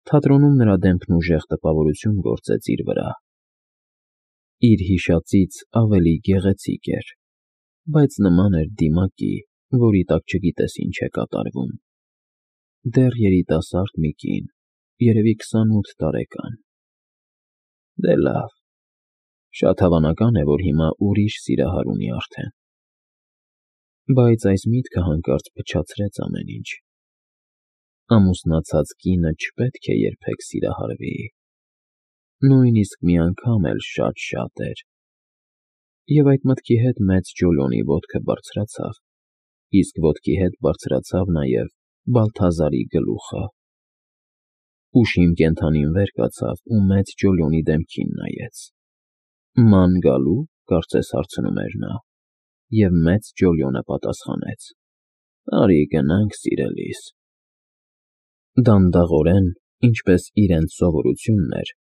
Թատրոնում նրա դեմքն ուժեղ տպավորություն գործեց իր վրա։ Իր հիշածից ավելի գեղեցիկ էր, բայց նման էր դիմակի, որի տակ չգիտես ինչ է կատարվում։ Դեռ երիտասարդ մի կին, երևի 28 տարեկան։ Դե լավ, շատ հավանական է, որ հիմա ուրիշ սիրահար ունի արդեն։ Բայց այս միտքը հանկարծ փչացրեց ամեն ինչ։ Ամուսնացած կինը չպետք է երբեք սիրահարվի, նույնիսկ մի անգամ էլ շատ էր։ Եվ այդ մտքի հետ մեծ Ջոլիոնի ոտքը բարձրացավ, իսկ ոտքի հետ բարձրացավ նաև Բալթազարի գլուխը։ Ուշիմ կենդանին վեր կացավ ու մեծ Ջոլիոնի դեմքին նայեց։ «Ման գալու՞, կարծես հարցնում էր նա, և մեծ Ջոլիոնը պատասխանեց. «Արի գնանք, սիրելիս»։ Դանդաղորեն, ինչպես իրենց սովորությունն էր,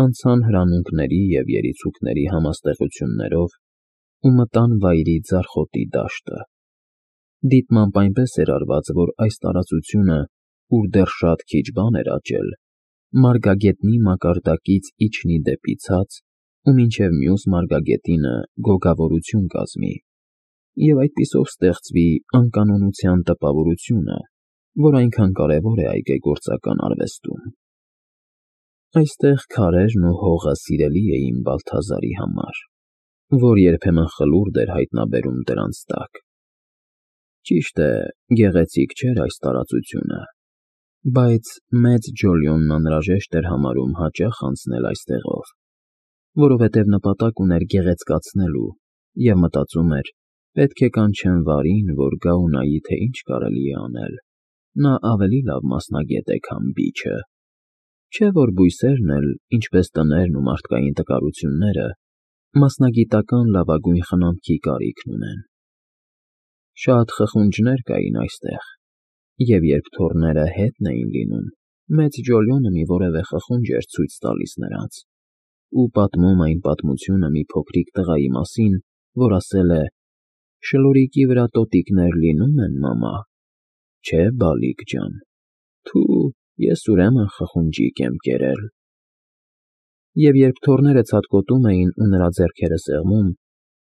անցան հրանունքների և երիցուկների համաստեղություններով ու մտան վայրի ձարխոտի դաշտը։ Դիտմամբ այնպես էր արված, որ այս տարածությունը, ուր դեռ շատ քիչ բան էր աճել, մարգագետնի մակարդակից իջնի դեպի ցած ու մինչև մյուս մարգագետինը գոգավորություն կազմի, և այդպիսով ստեղծվի անկանոնության տպավորությունը, որ այնքան կարևոր է այգեգործական արվեստում։ Այստեղ քարերն ու հողը սիրելի էին Բալթազարի համար, որ երբեմն խլուրդ էր հայտնաբերում դրանց տակ։ Ճիշտ է, գեղեցիկ չէր այս տարածությունը, բայց մեծ Ջոլիոնն անհրաժեշտ էր համարում հաճախ անցնել այստեղով, որովհետև նպատակ ուներ գեղեցկացնելու և մտածում էր. պետք է կանչեմ Վարին, որ գա ու նայի, թե ինչ կարելի է անել, նա ավելի լավ մասնագետ է, քան Բիչը, չէ՞ որ բույսերն էլ, ինչպես տներն ու մարդկային տկարությունները, մասնագիտական լավագույն խնամքի կարիքն ունեն։ Շատ խխունջներ կային այստեղ, և երբ թոռները հետն էին լինում, մեծ Ջոլիոնը մի որևէ խխունջ էր ցույց տալիս նրանց ու պատմում այն պատմությունը մի փոքրիկ տղայի մասին, որ ասել է. «Շլորիկի վրա տոտիկներ լինում են, մամա, չէ՞ Բալիկ ջան, թու, ես ուրեմն խխունջիկ եմ կերել»։ Եվ երբ թոռները ցատկոտում էին ու նրա ձեռքերը սեղմում,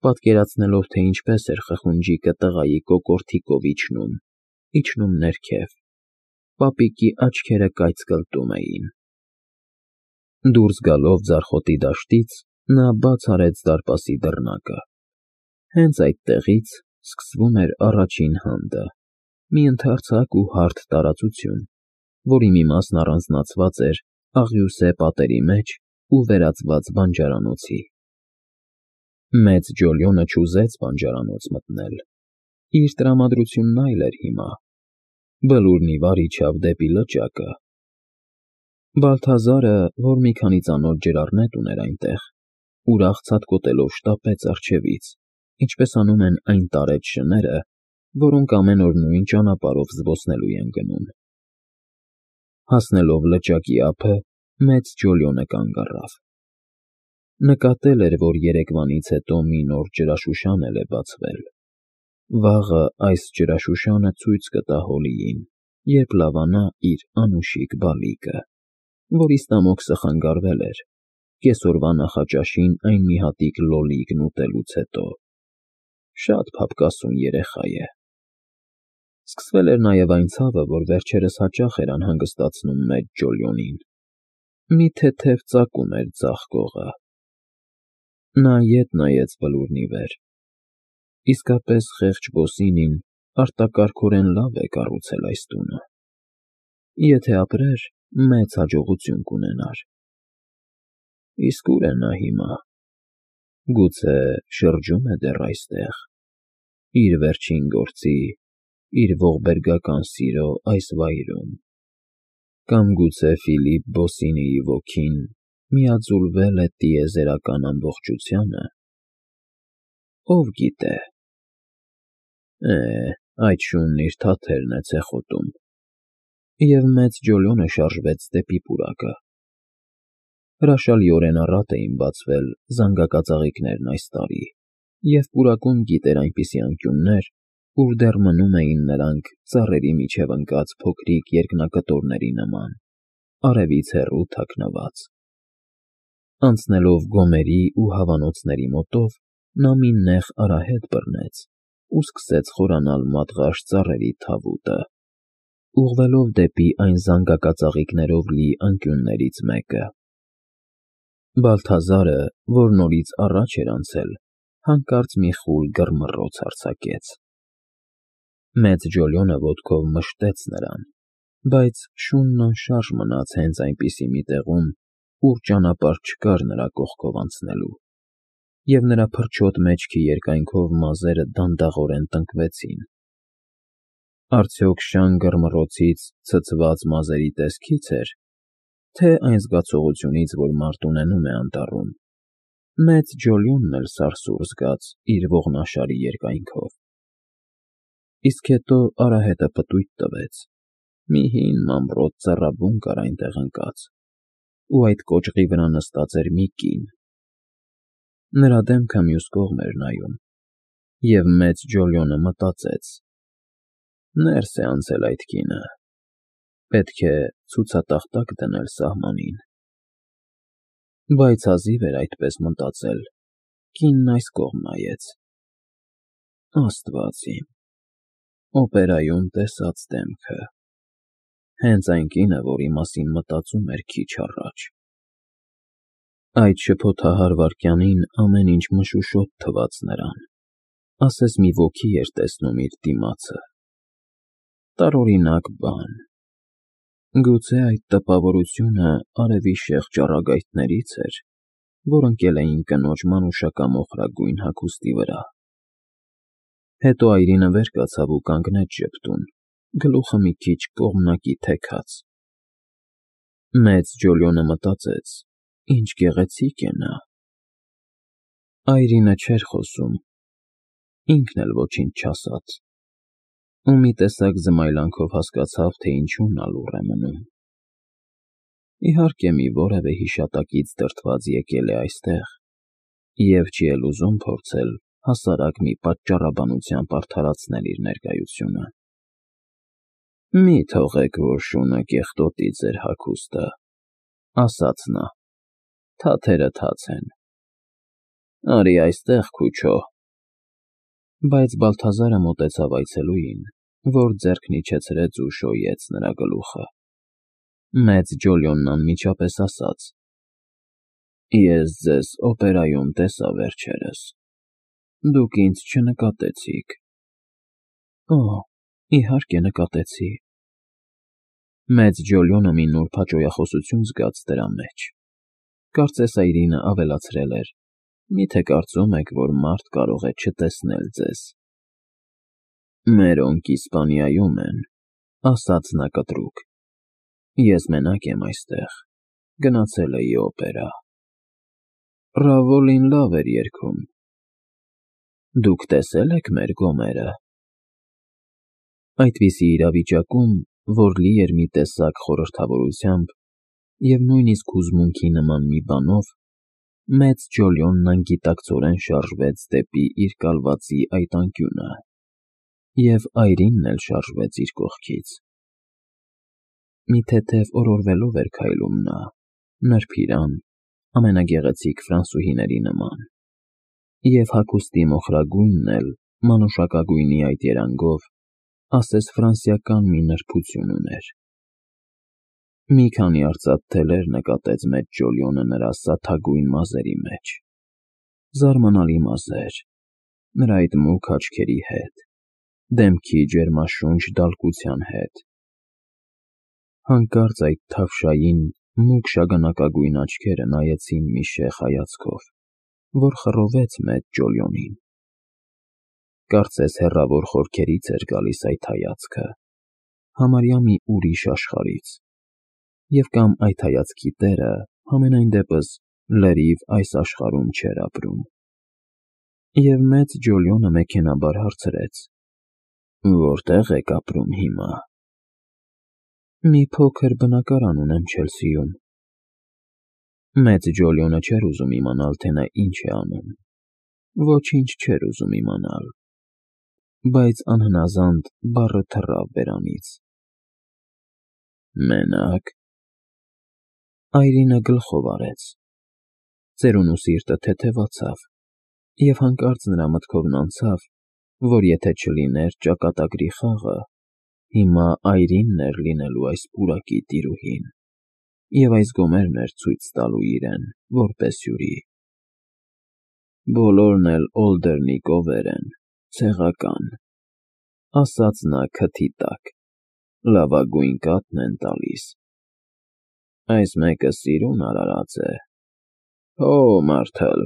պատկերացնելով, թե ինչպես էր խխունջիկը տղայի կոկորդիկով իջնում ներքև, պապիկի աչքերը կայծկլտում էին։ Դուրս գալով ձարխոտի դաշտից, նա բաց արեց դարպասի դռնակը։ Հենց այդտեղից սկսվում էր առաջին հանդը, մի ընդարձակ ու հարթ տարածություն, որի մի մասն առանձնացված էր աղյուսե պատերի մեջ ու վերածված բանջարանոցի։ Մեծ Ջոլիոնը չուզեց բանջարանոց մտնել։ Իր տրամադրությունն այլ էր հիմա։ Բլուրն ի վար իջավ դեպի լճակը։ Բալթազարը, որ մի քանի ծանոթ ջրառներ ուներ այնտեղ, ուրախ ցատկոտելով շտապեց առջևից, ինչպես անում են այն տարեց շները, որոնք ամեն օր նույն ճանապարհով զբոսնելու են գնում։ Հասնելով լճակի ափը, մեծ Ջոլիոնը կանգ առավ։ Նկատել էր, որ երեկվանից հետո մի նոր ջրաշուշան էլ է բացվել։ Վաղը այս ջրաշուշանը ցույց կտա Հոլիին, երբ լավանա իր անուշիկ Բալիկը, որի ստամոքսը խանգարվել էր, կեսօրվա նախաճաշին այն մի հատիկ լոլիկն ուտելուց հետո։ Շատ փափկասուն երեխա է։ Սկսվել էր նաև այն ցավը, որ վերջերս հաճախ էր անհանգստացնում մեծ Ջոլիոնին։ Մի թեթև ծակում էր ձախ կողը։ Նա ետ նայեց Բլուրն ի վեր։ Իսկապես խեղճ Բոսինին արտակարգորեն լավ է կառուցել այս տունը։ Եթե ապրեր, մեծ հաջողություն կունենար։ Իսկ ուր է նա հիմա։ Գուցե շրջում է դեռ այստեղ, իր վերջին գործի, իր ողբերգական սիրո այս վայրում։ Կամ գուցե Ֆիլիպ Բոսինիի ոգին միաձուլվել է տիեզերական ամբողջությանը։ Ով գիտե։ Այդ շունն իր թաթերն է ցեխոտում։ Եվ մեծ Ջոլիոնը շարժվեց դեպի պուրակը։ Հրաշալիորեն առատ էին բացվել զանգակածաղիկներն այս տարի, և պուրակում գիտեր այնպիսի անկյուններ, ուր դեռ մնում էին նրանք ծառերի միջև ընկած փոքրիկ երկնակտորների նման, արևից հեռու թաքնված։ Անցնելով գոմերի ու հավանոցների մոտով, նա մի նեղ արահետ բռնեց ու սկսեց խորանալ մատղաշ ծառերի թավուտը, ուղղվելով դեպի այն զանգակածաղիկներով լի անկյուններից մեկը։ Բալթազարը, որ նորից առաջ էր անցել, հանկարծ մի խուլ գռմռոց արձակեց։ Մեծ Ջոլյոնը ոտքով մշտեց նրան, բայց շունն անշարժ մնաց հենց այնպիսի մի տեղում, ուր ճանապարհ չկար նրա կողքով անցնելու, և նրա փրչոտ մեջքի երկայնքով մազերը դանդաղորեն տնկվեցին։ Արդյոք շան գռմռոցից ցցված մազերի տեսքի՞ց էր, թե այն զգացողությունից, որ մարդ ունենում է անտառում, մեծ Ջոլյոնն էլ սարսուռ զգաց իր ողնաշարի երկայնքով։ Իսկ հետո արահետը պտույտ տվեց, մի հին մանրոտ ծառաբուն կար այնտեղ ընկած, ու այդ կոճղի վրա նստած էր մի կին։ Նրա դեմքը մյուս կողմ էր նայում, և մեծ Ջոլյոնը մտածեց. ներս է անցել այդ կինը, պետք է ցուցատախտակ դնել սահմանին։ Բայց հազիվ էր այդպես մտածել, կինն այս կողմ նայեց. Աստված իմ, օպերայում տեսած դեմքը, հենց այն կինը, որի մասին մտածում էր քիչ առաջ։ Այդ շփոթահար վայրկյանին ամեն ինչ մշուշոտ թվաց նրան, ասես մի ոգի էր տեսնում իր դիմացը։ Տարօրինակ բան։ Գուցե այդ տպավորությունը արևի շեղ ճառագայթներից էր, որ ընկել էին կնոջ մանուշական մոխրագույն հագուստի վրա։ Հետո այրինը վեր կացավ ու կանգնեց ժպտուն, գլուխը մի քիչ կողմնակի թեքած։ Մեծ Ջոլյոնը մտածեց. ինչ գեղեցիկ է նա։ Այրինը չէր խոսում, ինքն էլ ոչինչ չասաց, ու մի տեսակ զմայլանքով հասկացավ, թե ինչու նա լուռ է մնում։ Իհարկե, մի որևէ հիշատակից դրդված եկել է այստեղ և չի էլ ուզում փորձել հասարակ մի պատճառաբանությամբ արդարացնել իր ներկայությունը։ Մի թողեք, որ շունը կեղտոտի ձեր հագուստը, ասաց նա, թաթերը թաց են։ Արի այստեղ, քուչո։ Բայց Բալթազարը մոտեցավ այցելուին, որ ձեռքն իջեցրեց ու շոյեց նրա գլուխը։ Մեծ Ջոլյոնն անմիջապես ասաց. ես ձեզ օպերայում տեսա վերջերս, դուք ինձ չնկատեցիք։ Օ, իհարկե նկատեցի։ Մեծ Ջոլյոնը մի նուրբ հաճոյախոսություն զգաց դրա մեջ։ Կարծես այրինը ավելացրել էր. միթե կարծում եք, որ մարդ կարող է չտեսնել ձեզ։ Մերոնք Իսպանիայում են, ասաց նա կտրուկ։ Ես մենակ եմ այստեղ, գնացել էի օպերա։ Ռավոլին լավ էր երգում։ Դուք տեսել եք մեր գոմերը։ Այդպիսի իրավիճակում, որ լի էր մի տեսակ խորհրդավորությամբ և նույնիսկ հուզմունքի նման մի բանով, մեծ Ջոլյոնն անգիտակցորեն շարժվեց դեպի իր կալվածի այդ անկյունը, և այրինն էլ շարժվեց իր կողքից։ Մի թեթև օրորվելով էր քայլում նա, նրբիրան, ամենագեղեցիկ ֆրանսուհիների նման, և հագուստի մոխրագույնն էլ մանուշակագույնի այդ երանգով ասես ֆրանսիական մի նրբություն ուներ։ Մի քանի արծաթ թելեր նկատեց մեծ Ջոլյոնը նրա սաթագույն մազերի մեջ։ Զարմանալի մազեր, նրա այդ մուգ աչքերի հետ, դեմքի ջերմաշունչ դալկության հետ։ Հանկարծ այդ թավշային, մուգ շագանակագույն աչքերը նայեցին մի շեղ հայացքով, որ խռովեց մեծ Ջոլյոնին։ Կարծես հեռավոր խորքերից էր գալիս այդ հայացքը, համարյա մի ուրիշ աշխարհից, և կամ այդ հայացքի տերը համենայն դեպս լրիվ այս աշխարհում չէր ապրում։ Եվ մեծ Ջոլյոնը մեքենաբար հարցրեց. որտե՞ղ եք ապրում հիմա։ Մի փոքր բնակարան ունեմ Չելսիում։ Մեծ Ջոլյոնը չէր ուզում իմանալ, թե նա ինչ է անում։ Ոչինչ չէր ուզում իմանալ, բայց անհնազանդ բառը թռավ բերանից։ Մենակ։ Այրինը գլխով արեց, ծերունու սիրտը թեթևացավ, և հանկարծ նրա մտքովն անցավ, որ եթե չլիներ ճակատագրի խաղը, հիմա Այրինն էր լինելու այս պուրակի տիրուհին, և այս գոմերն էր ցույց տալու իրեն, որպես հյուրի։ «Բոլորն էլ Օլդերնի կովեր են, ցեղական,֊ ասաց նա քթի տակ,֊ լավագույն կաթն են տալիս։ Այս մեկը սիրուն արարած է, հո մարդլ»։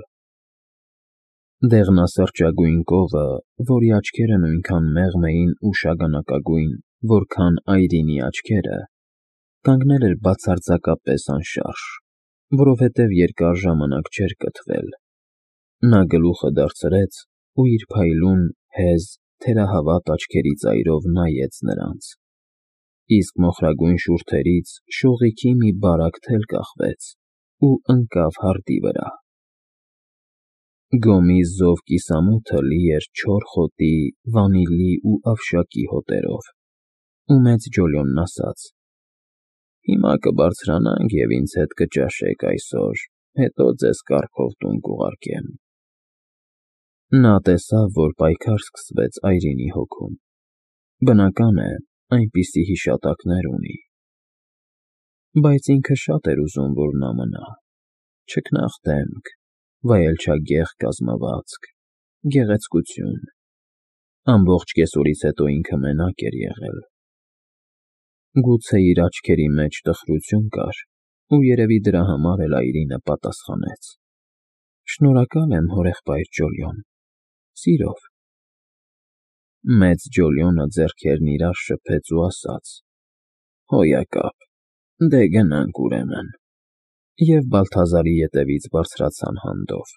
Դեղնասրճագույն կովը, որի աչքերը նույնքան մեղմ էին ու շագանակագույն, որքան Այրինի աչքերը, կանգնել էր բացարձակապես անշարժ, որովհետև երկար ժամանակ չէր կթվել։ Նա գլուխը դարձրեց ու իր փայլուն, հեզ, թերահավատ աչքերի ծայրով նայեց նրանց, իսկ մոխրագույն շուրթերից շողիքի մի բարակ թել կախվեց ու ընկավ հարտի վրա։ Գոմի զով կիսամութը լի էր չոր խոտի, վանիլի ու ավշակի հոտերով, ու մեծ Ջոլիոնն ասաց. «Հիմա կբարձրանանք և ինձ հետ կճաշեք այսօր, հետո ձեզ կառքով տուն կուղարկեմ»։ Նա տեսավ, որ պայքար սկսվեց Այրինի հոգում։ Բնական է, այնպիսի հիշատակներ ունի։ Բայց ինքը շատ էր ուզում, որ նա մնա, չքնաղ դեմք, վայելչագեղ կազմվածք, գեղեցկություն։ Ամբողջ կեսօրից հետո ինքը մենակ էր եղել։ Գուցե իր աչքերի մեջ տխրություն կար, ու երևի դրա համար էլ Այրինը պատասխանեց. «Շնորհակալ եմ, հորեղբայր Ջոլիոն, սիրով»։ Մեծ Ջոլիոնը ձեռքերն իրար շփեց ու ասաց. «Հոյակապ, դե գնանք ուրեմն», և Բալթազարի ետևից բարձրացան հանդով։